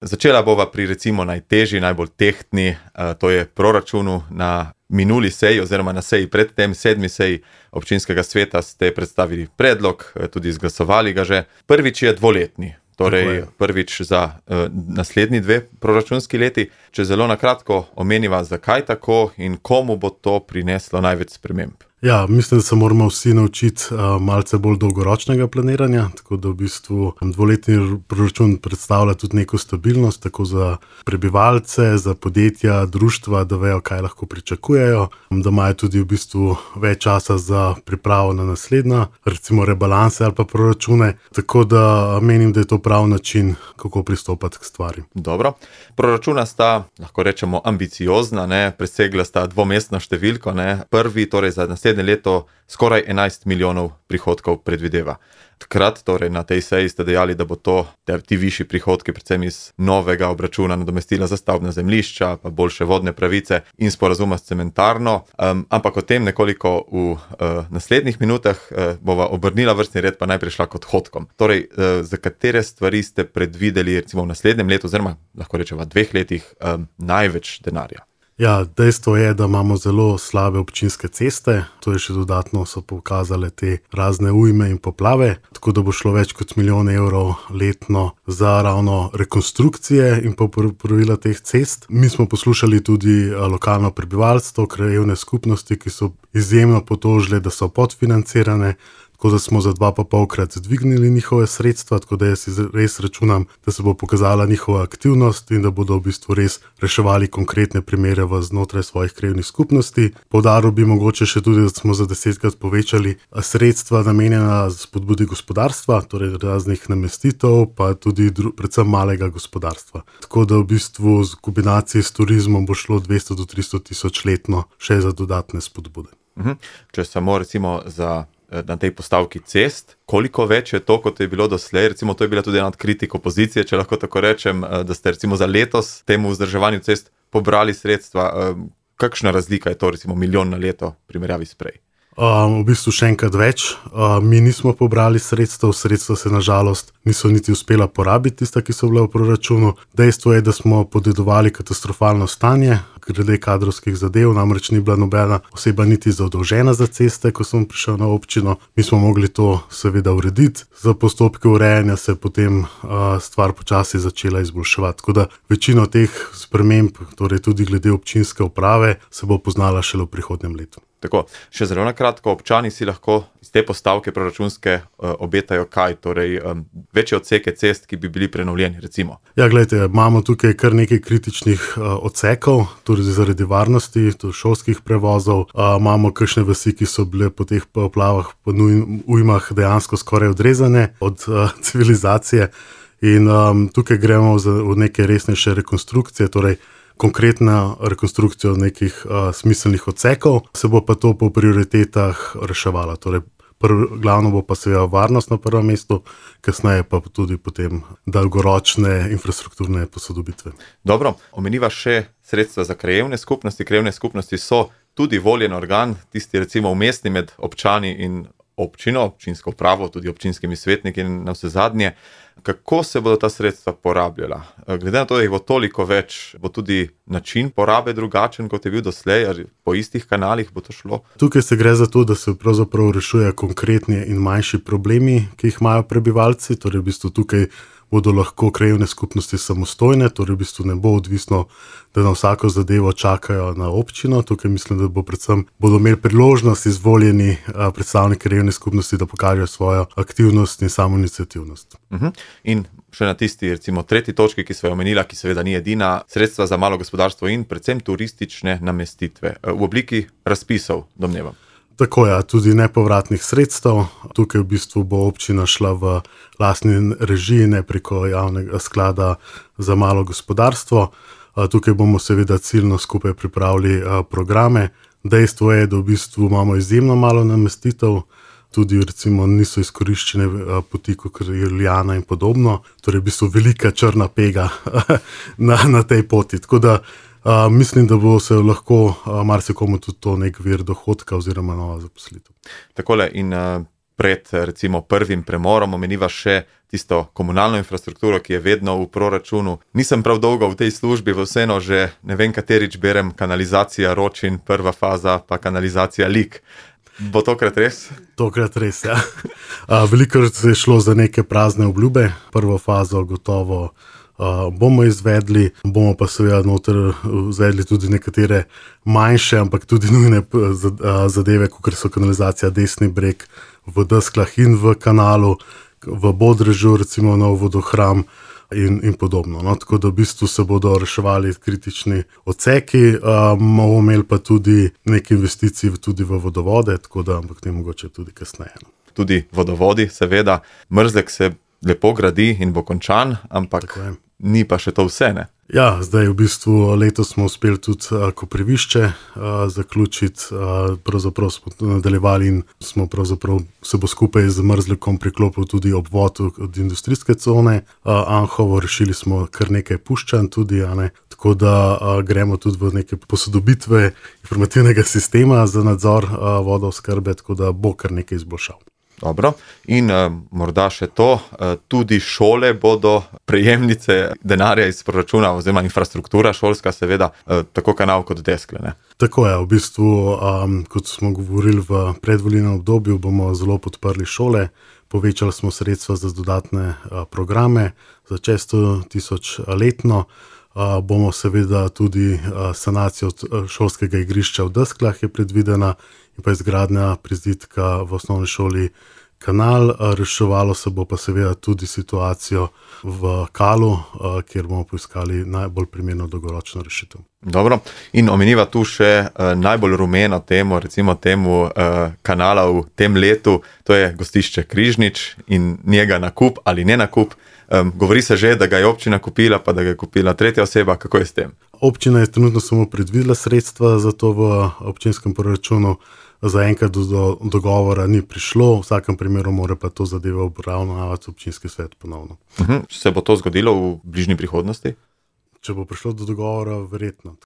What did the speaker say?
Začela bova pri recimo najtežji, najbolj tehtni, to je proračunu. Na minuli seji oziroma na seji predtem, 7. seji občinskega sveta ste predstavili predlog, tudi izglasovali ga že. Prvič je dvoletni, torej prvič za naslednji 2 proračunski leti. Če zelo na kratko omeniva, zakaj tako in komu bo to prineslo največ sprememb. Ja, mislim, da se moramo vsi naučiti malce bolj dolgoročnega planiranja, tako da v bistvu dvoletni proračun predstavlja tudi neko stabilnost, tako za prebivalce, za podjetja, društva, da vejo, kaj lahko pričakujejo, da imajo tudi v bistvu več časa za pripravo na naslednja, recimo rebalanse ali pa proračune, tako da menim, da je to prav način, kako pristopati k stvari. Dobro. Proračuna sta, lahko rečemo, ambiciozna, presegla sta dvomestno številko, Prvi, torej za naslednje leto, skoraj 11 milijonov prihodkov predvideva. Takrat, torej na tej seji ste dejali, da bo to ti višji prihodki predvsem iz novega obračuna nadomestila za stavbna zemljišča, pa boljše vodne pravice in sporazuma s cementarno. Ampak o tem nekoliko v naslednjih minutah bova obrnila vrstni red, pa najprej šla k odhodkom. Torej, za katere stvari ste predvideli recimo v naslednjem letu, oziroma lahko rečeva 2 letih, največ denarja? Ja, dejstvo je, da imamo zelo slabe občinske ceste, to je še dodatno so pokazale te razne ujme in poplave, tako da bo šlo več kot 1 milijon evrov letno za ravno rekonstrukcije in popravila teh cest. Mi smo poslušali tudi lokalno prebivalstvo, krajevne skupnosti, ki so izjemno potožile, da so podfinancirane, tako da smo za 2,5-krat dvignili njihove sredstva, tako da jaz res računam, da se bo pokazala njihova aktivnost in da bodo v bistvu res reševali konkretne primere znotraj svojih krajevnih skupnosti. Poudaril bi mogoče še tudi, da smo za 10-krat povečali sredstva namenjena spodbudi gospodarstva, torej raznih namestitev, pa tudi predvsem malega gospodarstva. Tako da v bistvu v kombinaciji s turizmom bo šlo 200 do 300 tisoč letno še za dodatne spodbude. Če samo recimo na tej postavki cest, koliko več je to, kot je bilo doslej? Recimo to je bila tudi ena od kritik opozicije, če lahko tako rečem, da ste recimo za letos temu vzdrževanju cest pobrali sredstva. Kakšna razlika je to, recimo 1 milijon na leto v primerjavi s prej? V bistvu še enkrat več. Mi nismo pobrali sredstva se nažalost niso niti uspela porabiti, tista, ki so bila v proračunu. Dejstvo je, da smo podedovali katastrofalno stanje glede kadrovskih zadev, namreč ni bila nobena oseba niti zadolžena za ceste, ko sem prišel na občino. Mi smo mogli to seveda urediti. Za postopke urejanja se je potem stvar počasi začela izboljševati. Tako da večino teh sprememb, torej tudi glede občinske uprave, se bo poznala šele v prihodnjem letu. Tako, še zelo na kratko, občani si lahko iz te postavke proračunske obetajo kaj? Torej, večje odseke cest, ki bi bili prenovljeni, recimo. Ja, gledajte, imamo tukaj kar nekaj kritičnih odsekov, tudi zaradi varnosti, šolskih prevozov. Imamo kakšne vasi, ki so bile po teh poplavah, po ujmah dejansko skoraj odrezane od civilizacije. In tukaj gremo v neke resnejše rekonstrukcije, torej konkretna rekonstrukcija nekih smiselnih odsekov, se bo pa to po prioritetah reševalo. Torej, glavno bo pa seveda varnost na prvem mestu, kasneje pa tudi potem dolgoročne infrastrukturne posodobitve. Dobro, omeniva še sredstva za krajevne skupnosti. Krajevne skupnosti so tudi voljen organ, tisti recimo vmesni med občani in občino, občinsko upravo, tudi občinskimi svetniki in na vse zadnje. Kako se bodo ta sredstva porabljala? Glede na to, da jih bo toliko več, bo tudi način porabe drugačen, kot je bil doslej, ali po istih kanalih bo to šlo? Tukaj se gre za to, da se pravzaprav rešuje konkretni in manjši problemi, ki jih imajo prebivalci, torej v bistvu tukaj bodo lahko krajevne skupnosti samostojne, torej v bistvu ne bo odvisno, da na vsako zadevo čakajo na občino. Tukaj mislim, da bodo imeli priložnost izvoljeni predstavniki krajevne skupnosti, da pokažejo svojo aktivnost in samoiniciativnost. In še na tisti, recimo, 3. točki, ki sva jo omenila, ki seveda ni edina, sredstva za malo gospodarstvo in predvsem turistične namestitve v obliki razpisov, domnevam. Tako je, tudi nepovratnih sredstev. Tukaj v bistvu bo občina šla v lastni režiji, ne preko javnega sklada za malo gospodarstvo. Tukaj bomo seveda ciljno skupaj pripravili programe. Dejstvo je, da v bistvu imamo izjemno malo namestitev, tudi recimo niso izkoriščene poti, kot je Ljubljana in podobno. Torej v bistvu velika črna pega na tej poti. Tako da mislim, da bo se lahko marsikomu tudi to nek vir dohodka oziroma nova zaposlitev. Takole, in pred recimo prvim premorom, omeniva še tisto komunalno infrastrukturo, ki je vedno v proračunu. Nisem prav dolgo v tej službi, vseeno že ne vem katerič berem kanalizacija Ročin, prva faza, pa kanalizacija Lik. Bo tokrat res? Tokrat res, ja. Velikokrat se je šlo za neke prazne obljube. Prvo fazo gotovo bomo izvedli, bomo pa seveda noter izvedli tudi nekatere manjše, ampak tudi nujne zadeve, kot so kanalizacija Desni breg v Desklah in v Kanalu, v Bodrežu, recimo nov vodohram in podobno. No, tako da v bistvu se bodo reševali kritični odseki, bomo imeli pa tudi nekaj investicij tudi v vodovode, tako da, ampak ne mogoče tudi kasneje. Tudi vodovodi, seveda. Mrzlek se lepo gradi in bo končan, ampak ni pa še to vse, ne? Ja, zdaj v bistvu letos smo uspeli tudi Koprivišče zaključiti, pravzaprav smo nadaljevali in smo pravzaprav se bo skupaj z Mrzlekom priklopil tudi obvod od industrijske cone Anhovo, rešili smo kar nekaj puščanj tudi, tako da gremo tudi v neke posodobitve informativnega sistema za nadzor vodooskrbe, tako da bo kar nekaj izboljšav. Dobro, in morda še to, tudi šole bodo prejemnice denarja iz proračuna oziroma infrastruktura šolska, seveda, tako Kanal kot Deskle, ne? Tako je, v bistvu, kot smo govorili v predvolilnem obdobju, bomo zelo podprli šole, povečali smo sredstva za dodatne programe, za 600,000 letno, bomo seveda tudi sanacijo šolskega igrišča v Desklah je predvidena in pa izgradnja prizidka v osnovni šoli Kanal, reševalo se bo pa seveda tudi situacijo v Kalu, kjer bomo poiskali najbolj primerno dolgoročno rešitev. Dobro, in omeniva tu še najbolj rumeno temo, recimo temu Kanala v tem letu, to je gostišče Križnič in njega nakup ali ne nakup. Govori se že, da ga je občina kupila, pa da ga je kupila tretja oseba, kako je s tem? Občina je trenutno samo predvidela sredstva za to v občinskem proračunu, zaenkrat do dogovora ni prišlo, v vsakem primeru mora pa to zadevo obravnavati občinski svet ponovno. Se bo to zgodilo v bližnji prihodnosti? Če bo prišlo do dogovora, verjetno.